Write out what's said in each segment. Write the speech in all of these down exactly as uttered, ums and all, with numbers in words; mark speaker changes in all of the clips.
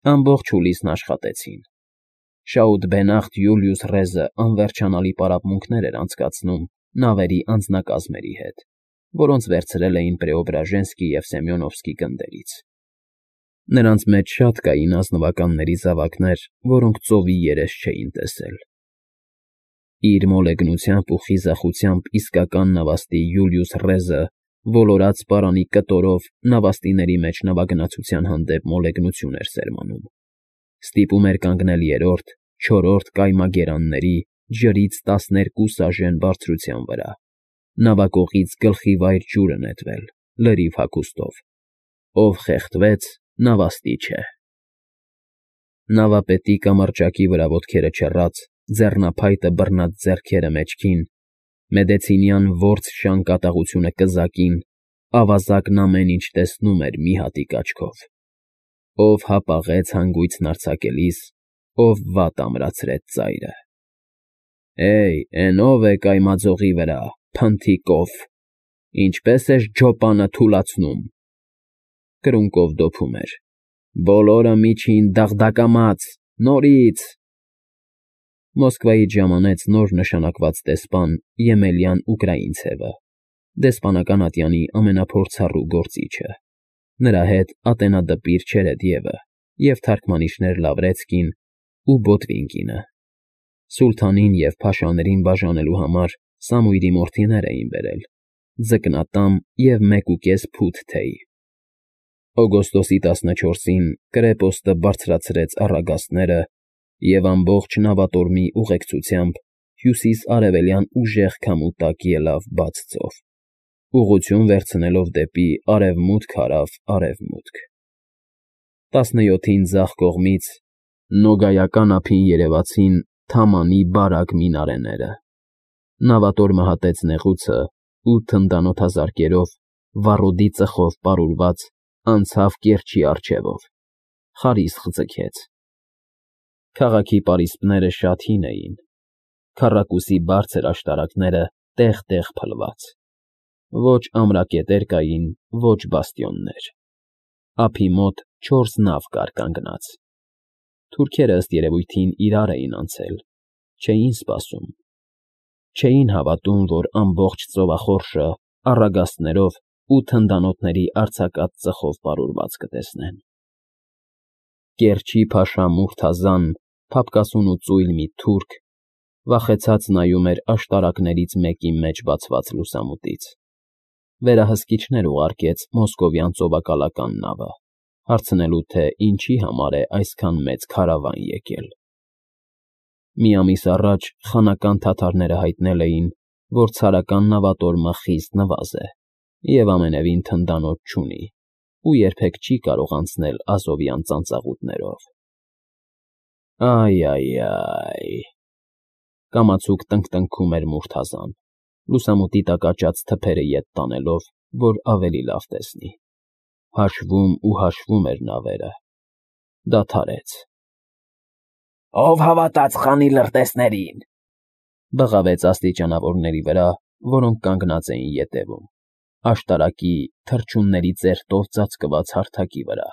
Speaker 1: Ամբողջ հուլիսն աշխատեցին։ Շաուտ֊Բենախտ Յուլիուս Ռեզը անվերջանալի պարապմունքներ էր անցկացնում նավերի անձնակազմերի հետ, որոնց վերցրել էին Պրեոբրաժենսկի և Սեմյոնովսկի գնդերից։ Նրանց մեջ շատ կային ազնվականների զավակներ, որոնք ծովի երես չէին տեսել։ Իր մոլեգնությամբ ու խիզախությամբ իսկական նավաստի Յուլիուս Ռեզը ոլորած պարանի կտորով նավաստիների մեջ նավագնացության հանդեպ մոլեգնություն էր սերմանում, ստիպում էր կանգնել երրորդ, չորրորդ կայմագերանների ջրից տասներկու սաժեն բարձրության վրա, նավակողից գլխիվայր ջուրը նետվել, լրիվ հագուստով։ Ով խեղդվեց, նավաստի չէ։ Նավապետի կամրջակի վրա ոտքերը չռած, ձեռնափայտը բռնած ձեռքերը մեջքին, Մեդեցինյան որց շան կատաղությունը կզակին, ավազակն ամեն ինչ տեսնում էր մի հատիկ աչքով։ Ով հապաղեց հանգույցն արձակելիս, ով վատ ամրացրեց ծայրը։ Է՜յ, էն ո՞վ է կայմաձողի վրա, փնթիկով, ինչպե՞ս ես ջոպանը թուլացնում։ Կրունկով դոփում էր. Բոլորը միջին դաղդակամաց, նորից… Մոսկվայից ժամանեց նոր նշանակված դեսպան Եմելյան Ուկրաինցևը, դեսպանական ատյանի ամենափորձառու գործիչը, նրա հետ ատենադպիր Չերեդևը և թարգմանիչներ Լավրեցկին ու Բոտվինկինը։ Սուլթանին և փաշաներին բաժանելու համար Սամույրի մորթիներ էին բերել, ձկնատամ և մեկուկես փութ թեյ։ Օգոստոսի տասնչորսին կրեպոստը բարձրացրեց առագաստները և ամբողջ նավատորմի ուղեկցությամբ հյուսիս֊արևելյան ուժեղ քամու տակ ելավ բաց ծով, ուղղություն վերցնելով դեպի արևմուտք հարավ արևմուտք։ Տասնյոթին ձախ կողմից Նոգայական ափին երևացին Թամանի բարակ մինարեները։ Նավատորմը հատեց նեղուցը ու թնդանոթազարկերով, վառոդի ծխով պարուրված, անցավ կիրճի առջևով, խարիսխ ձգեց։ Քաղաքի պարիսպները շատ հին էին, քառակուսի բարձր աշտարակները տեղ֊տեղ փլված։ Ոչ ամրակետեր կային, ոչ բաստիոններ։ Ափի մոտ չորս նավ կար կանգնած։ Թուրքերը, ըստ երևույթին, իրար էին անցել, չէին սպասում։ Չէին հավատում, որ ամբողջ ծովախորշը առագաստներով ու թնդանոթների արձակած ծխով պարուրված կտեսնեն։ Կերչի փաշա Մուրթազան, փափկասուն ու ծույլ մի թուրք, վախեցած նայում էր աշտարակներից մեկի մեջ բացված լուսամուտից։ Վերահսկիչներ ուղարկեց մոսկովյան ծովակալական նավը, հարցնելու, թե ինչի համար է այսքան մեծ քարավան եկել։ Մի ամիս առաջ խանական թաթարները հայտնել էին, որ ցարական նավատորմը խիստ նվազ է և ամենևին թնդանոթ չունի ու երբեք չի կարող անցնել ազովյան ծանծաղուտներով։ Այ֊այ֊այ… Կամացուկ տնկտնքում էր Մուրթազան, լուսամուտի տակ աճած թփերը ետ տանելով, որ ավելի լավ տեսնի։ Հաշվում ու հաշվում էր նավերը։ Դադարեց։ Ո՞վ հավատաց խանի լրտեսներին,֊ բղավեց աստիճանավորների վրա, որոնք կանգնած էին ետևում, աշտարակի թռչունների ծերտով ծածկված հարթակի վրա։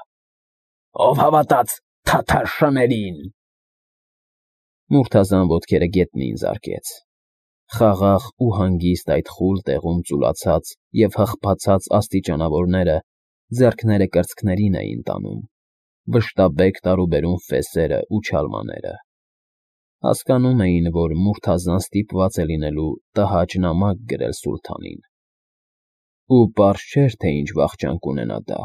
Speaker 1: Ո՞վ հավատաց թաթար շներին… Մուրթազան ոտքերը գետնին զարկեց։ Խաղաղ ու հանգիստ այդ խուլ տեղում ծուլացած և հղբացած աստիճանավորները ձեռքները կրծքներին էին տանում, վշտաբեկ տարուբերում ֆեսերը ու չալմաները։ Հասկանում էին, որ Մուրթազան ստիպված է լինելու տհաճ նամակ գրել սուլթանին։ Ու պարզ չէր, թե ինչ վախճան կունենա դա,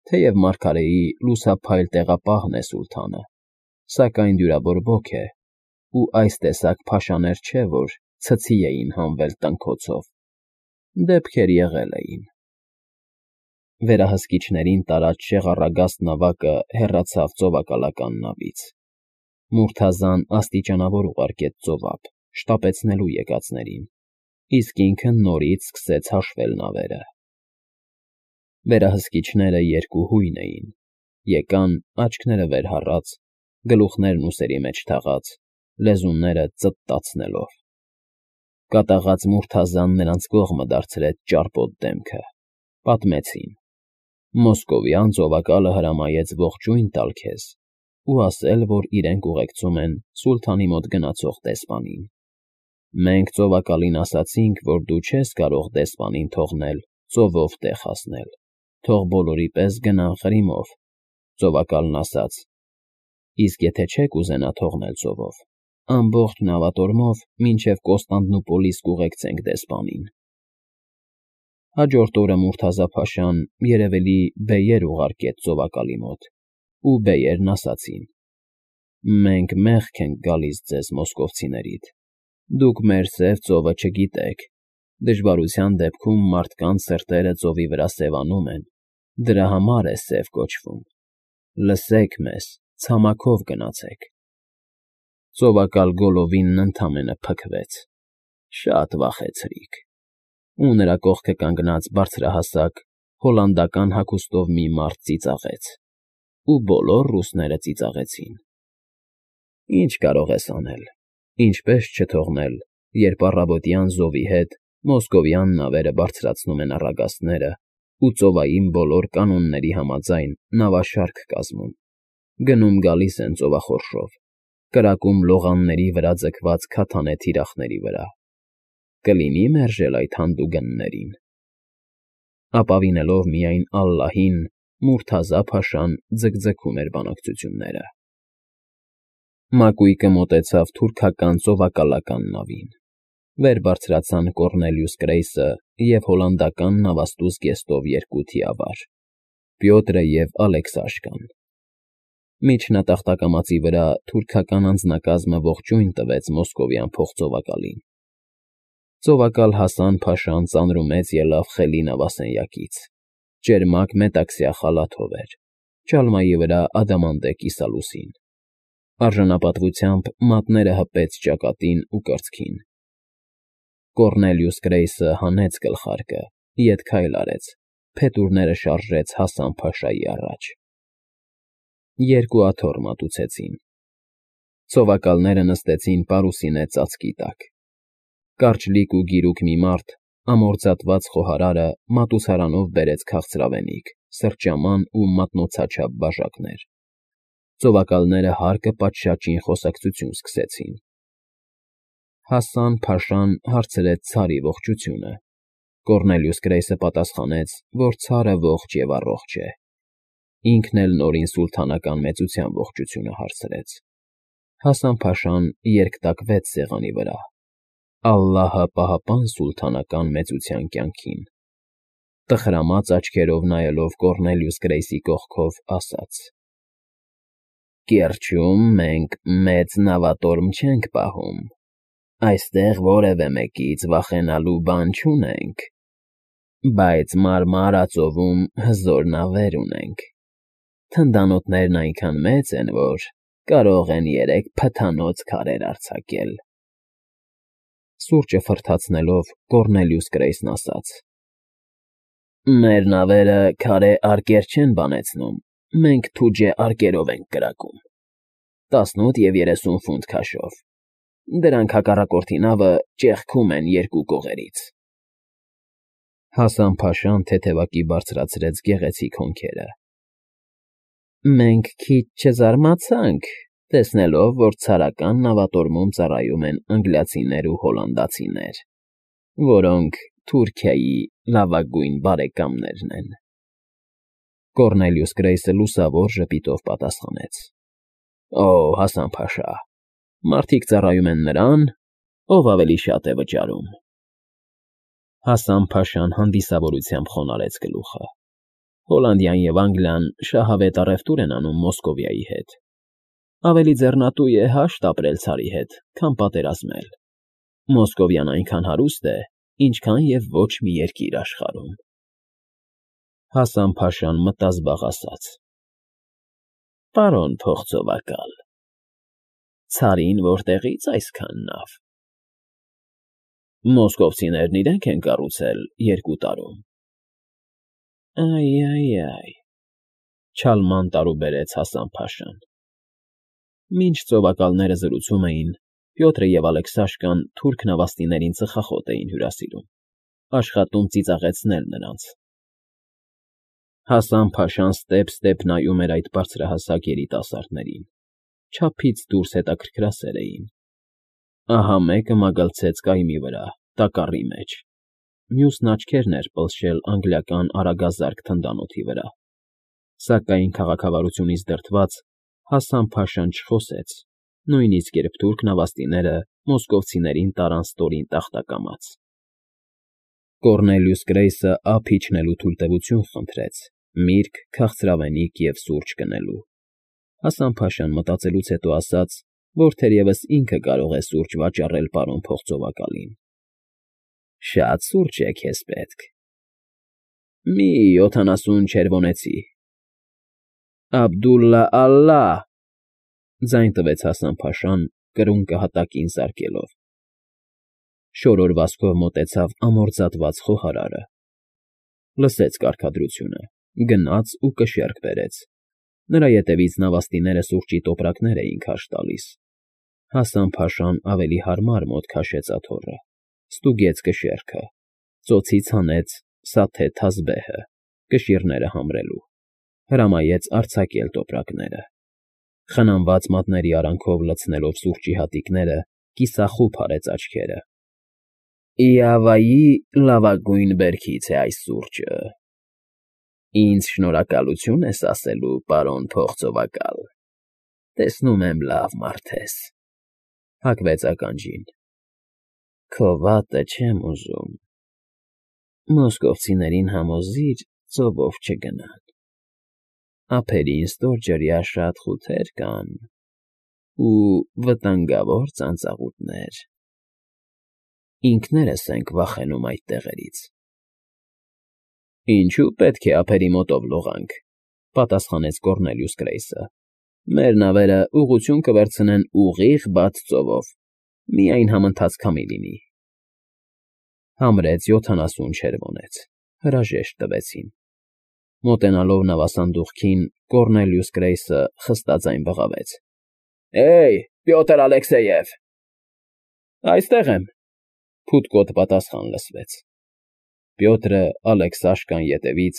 Speaker 1: թեև մարգարեի լուսափայլ տեղապահն է սուլթանը, սակայն դյուրավոր է, ու այս տեսակ փաշաներ չէ, որ ցցի էին հանվել տնքոցով, դեպքեր եղել էին։ Վերահսկիչներին տարած շեղառագաստ նավակը հեռացավ ծովակալական նավից։ Մուրթազան աստիճանավոր ուղարկեց ծովափ, շտապեցնելու եկածներին, իսկ ինքը նորից սկսեց հաշվել նավերը։ Վերահսկիչները երկուհույն էին, եկան աչքները վեր հառած, գլուխներն ուսերի մեջ թաղած, լեզուները ծտտացնելով։ Կատաղած Մուրթազան նրանց կողմը դարձրեց ճարպոտ դեմքը, պատմեցին. Մոսկովյան ծովակալը հրամայեց ողջույն տալ քեզ, ու ասել, որ իրենք ուղեկցում են սուլթանի մոտ գնացող դեսպանին։ Մենք ծովակալին ասացինք, որ դու չես կարող դեսպանին թողնել ծովով տեղ հասնել, թող բոլորի պես գնան Ղրիմով, ծովակալն ասաց. իսկ եթե չեք ուզենա թողնել ծովով, ամբողջ նավատորմով մինչև Կոստանդնուպոլիս կուղեկցենք դեսպանին։ Հաջորդ օրը Մուրթազա փաշան երևելի բեյեր ուղարկեց ծովակալի մոտ, ու բեյերն ասացին. մենք մեղք ենք գալիս ձեզ մոսկովցիներիդ, դուք մեր սև ծովը չգիտեք, դժվարության դեպքում մարդկանց սրտերը ծովի վրա սևանում են, դրա համար է սև կոչվում, լսեք մեզ, ցամաքով գնացեք։ Ծովակալ Գոլովինն ընդամենը փքվեց, շատ վախեցրիք, ու նրա կողքը կանգնած բարձրահասակ հոլանդական հագուստով մի մարդ ծիծաղեց, ու բոլոր ռուսները ծիծաղեցին։ Ինչ կարող ես անել, ինչպես չթողնել, երբ առավոտյան զովի հետ մոսկովյան նավերը բարձրացնում են առագաստները ու ծովային բոլոր կանոնների համաձայն նավաշարք կազմում, գնում գալիս են ծովախորշով, կրակում լողանների վրա ձգված քաթանե թիրախների վրա, կլինի մերժել այդ հանդուգններին։ Ապավինելով միայն Ալլահին, Մուրթազա փաշան ձգձգում էր բանակցությունները։ Մակույկը մոտեցավ թուրքական ծովակալական նավին, վեր բարձրացան Կոռնելիուս Կրեյսը և հոլանդական նավաստուզ գեստով երկու թիավար՝ Պյոտրը և Ալեքսաշկան։ Միջնատախտակամածի վրա թուրքական անձնակազմը ողջույն տվեց մոսկովյան փոխծովակալին։ Ծովակալ Հասան փաշան ծանրումեց ելավ խելի նավասենյակից, ճերմակ մետաքսյա խալաթով էր, ճալմայի վրա ադամանդե կիսալուսին։ Արժանապատվությամբ մատները հպեց ճակատին ու կրծքին։ Կոռնելիուս Կրեյսը հանեց գլխարկը, ետ քայլ արեց, փետուրները շարժեց Հասան փաշայի առաջ։ Երկու աթոռ մատուցեցին։ Ծովակալները նստեցին պարուսինե ծածկի տակ։ Կարճլիկ ու գիրուկ մի մարդ, ամորձատված խոհարարը մատուցարանով բերեց քաղցրավենիք, սրճաման ու մատնոցաչափ բաժակներ։ Ծովակալները հարկը պատշաճին խոսակցություն սկսեցին։ Հասան փաշան հարցրեց ցարի ողջությունը։ Կոռնելիուս Կրեյսը պատասխանեց, որ ցարը ողջ և առողջ է։ Ինքն էլ նորին սուլթանական մեծության ողջությունը հարցրեց։ Հասան փաշան երկտակվեց սեղանի վրա։ Ալլահը պահապան սուլթանական մեծության կյանքին։ Տխրամած աչքերով նայելով Կոռնելիուս Կրեյսի կողքով ասաց. Կիրճում մենք մեծ նավատորմ չենք պահում, այստեղ որևէ մեկից վախենալու բան չունենք, բայց Մարմարա ծովում հզոր նավեր ունենք, թնդանոթներն այնքան մեծ են, որ կարող են երեք փթանոց քարեր արձակել։ Սուրճը ֆռթացնելով Կոռնելիուս Կրեյսն ասաց. Մեր նավերը քարե արկեր չեն բանեցնում, մենք թուջե արկերով ենք կրակում, տասնութ և երեսուն ֆունտ քաշով, դրանք հակառակորդի նավը ճեղքում են երկու կողերից։ Հասան փաշան թեթևակի բարձրացրեց գեղեցիկ հոնքերը։ Մենք քիչ չզարմացանք, տեսնելով, որ ցարական նավատորմում ծառայում են անգլիացիներ ու հոլանդացիներ, որոնք Թուրքիայի լավագույն բարեկամներն են։ Կոռնելիուս Կրեյսը լուսավոր ժպիտով պատասխանեց. Օ, Հասան փաշա, մարդիկ ծառայում են նրան, ով ավելի շատ է վճարում։ Հասան փաշան հանդիսավորությամբ խոնարհեց գլուխը։ Հոլանդիան և Անգլիան շահավետ առևտուր են անում Մոսկովիայի հետ։ Ավելի ձեռնատու է հաշտ ապրել ցարի հետ, քան պատերազմել։ Մոսկովիան այնքան հարուստ է, ինչքան և ոչ մի երկիր աշխարհում։ Հասան փաշան մտազբաղ ասաց. Պարոն փոխծովակալ, ցարին որտեղի՞ց այսքան նավ։ Մոսկովցիներն իրենք են կառուցել երկու տարում։ Այ֊այ֊այ, չալման տարուբերեց Հասան փաշան։ Մինչ ծովակալները զրուցում էին, Պյոտրը և Ալեքսաշկան թուրք նավաստիներին ծխախոտ էին հյուրասիրում, աշխատում ծիծաղեցնել նրանց։ Հասան փաշան ստեպ֊ստեպ նայում էր այդ բարձրահասակ երիտասարդներին, չափից դուրս հետաքրքրասեր էին։ Ահա մեկը մագլցեց կայմի վրա, տակառի մեջ, մյուսն աչքերն էր պլշել անգլիական արագազարկ թնդանոթի վրա, սակայն քաղաքավարությունից դրդված Հասան Փաշան չխոսեց, նույնիսկ երբ թուրք նավաստիները մոսկովցիներին տարան ստորին տախտակամաց։ Կոռնելիուս Գրեյսը ափ իջնելու թույլտվություն խնդրեց, միրգ, քաղցրավենիք և սուրճ գնելու։ Հասան Փաշան մտածելուց հետո ասաց, որ թերևս ինքը կարող է սուրճ վաճառել պարոն փողծովակալին։ Շատ սուրճ է քեզ պետք։ Մի յոթանասուն չերվոնեցի։ Աբդուլլա ալլահ, ձայն տվեց Հասան Փաշան, կրունկը հատակին զարկելով։ Շորոր վազքով մոտեցավ ամորձատված խոհարարը, լսեց կարգադրությունը, գնաց ու կշեռք բերեց։ Նրա ետևից նավաստիները սուրճի տոպրակներ էին քարշ տալիս։ Հասան Փաշան ավելի հարմար մոտ քաշեց աթոռը, ստուգեց կշեռքը, ծոցից հանեց սաթե թազբեհը, կշիռները համրելու, հրամայեց արձակել տոպրակները։ Խնամված մատների արանքով լցնելով սուրճի հատիկները, կիսախուբ արեց աչքերը։ Իավայի լավագույն բերքից է այս սուրճը։ Ինձ շնորհակալություն ես ասելու, պարոն փողծովակալ, տեսնում եմ լավ մարդ ես, հագվեց ականջին։ Քո վատը չեմ ուզում, մոսկովցիներին համոզիր ծովով չգնան, ափերին ստորջրյա շատ խութեր կան ու վտանգավոր ծանծաղուտներ, ինքներս ենք վախենում այդ տեղերից։ Ինչու պետք է ափերի մոտով լողանք, պատասխանեց Կոռնելիուս Գրեյսը, մեր նավերը ուղղություն կվերցնեն ուղիղ բաց ծովով, միայն համընթաց քամի լինի։ Համրեց յոթանասուն չերվոնեց, հրաժեշտ տվեցին։ Մոտենալով նավասանդուղքին, Կոռնելիուս Գրեյսը խստաձայն բղավեց. Էյ, Պյոտր Ալեքսեև։ Այստեղ եմ, փութկոտ պատասխան լսվեց։ Պյոտրը, Ալեքսաշկան ետևից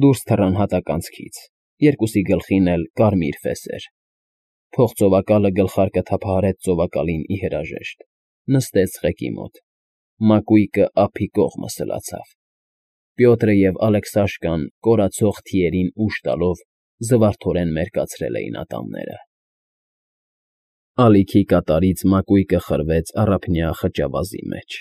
Speaker 1: դուրս թռան հատականցքից, երկուսի գլխին էլ կարմիր ֆեսեր։ Փողծովակալը գլխարկը թափահարեց ծովակալին ի հրաժեշտ, նստեց ղեկի մոտ, մակույկը ափի կողմը սլացավ։ Պյոտրը և Ալեքսաշկան կորացող թիերին ուժ տալով զվարթորեն մերկացրել էին ատամները։ Ալիքի կատարից մակույկը խրվեց առափնյա խճավազի մեջ։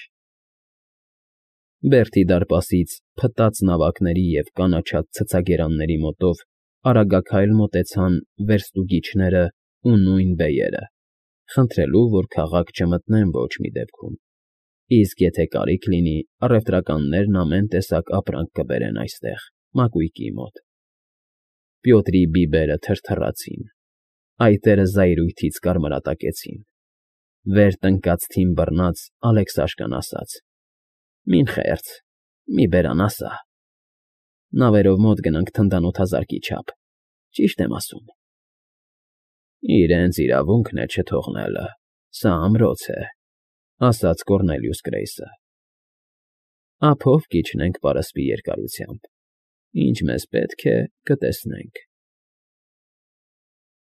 Speaker 1: Բերդի դարպասից փտած նավակների և կանաչած ցցագերանների մոտով արագաքայլ մոտեցան վերստուգիչներն ու նույն բեյերը, խնդրելու, որ քաղաք չմտնեն ոչ մի դեպքում, իսկ եթե կարիք լինի, առևտրականներն ամեն տեսակ ապրանք կբերեն այստեղ, մակույկի մոտ։ Պյոտրի բիբերը թրթռացին, այտերը զայրույթից կարմրատակեցին։ Վեր տնկած թին բռնած Ալեքսաշկան ասաց. Մին խերց, մի բերան ասա։ Նավերով մոտ գնանք թնդանոթազարկի չափ, ճիշտ եմ ասում։ Իրենց իրավունքն է չթողնելը, սա ամրոց է, ասաց Կոռնելիուս Գրեյսը։ Ափով կիջնենք պարսպի երկարությամբ, ինչ մեզ պետք է, կտեսնենք։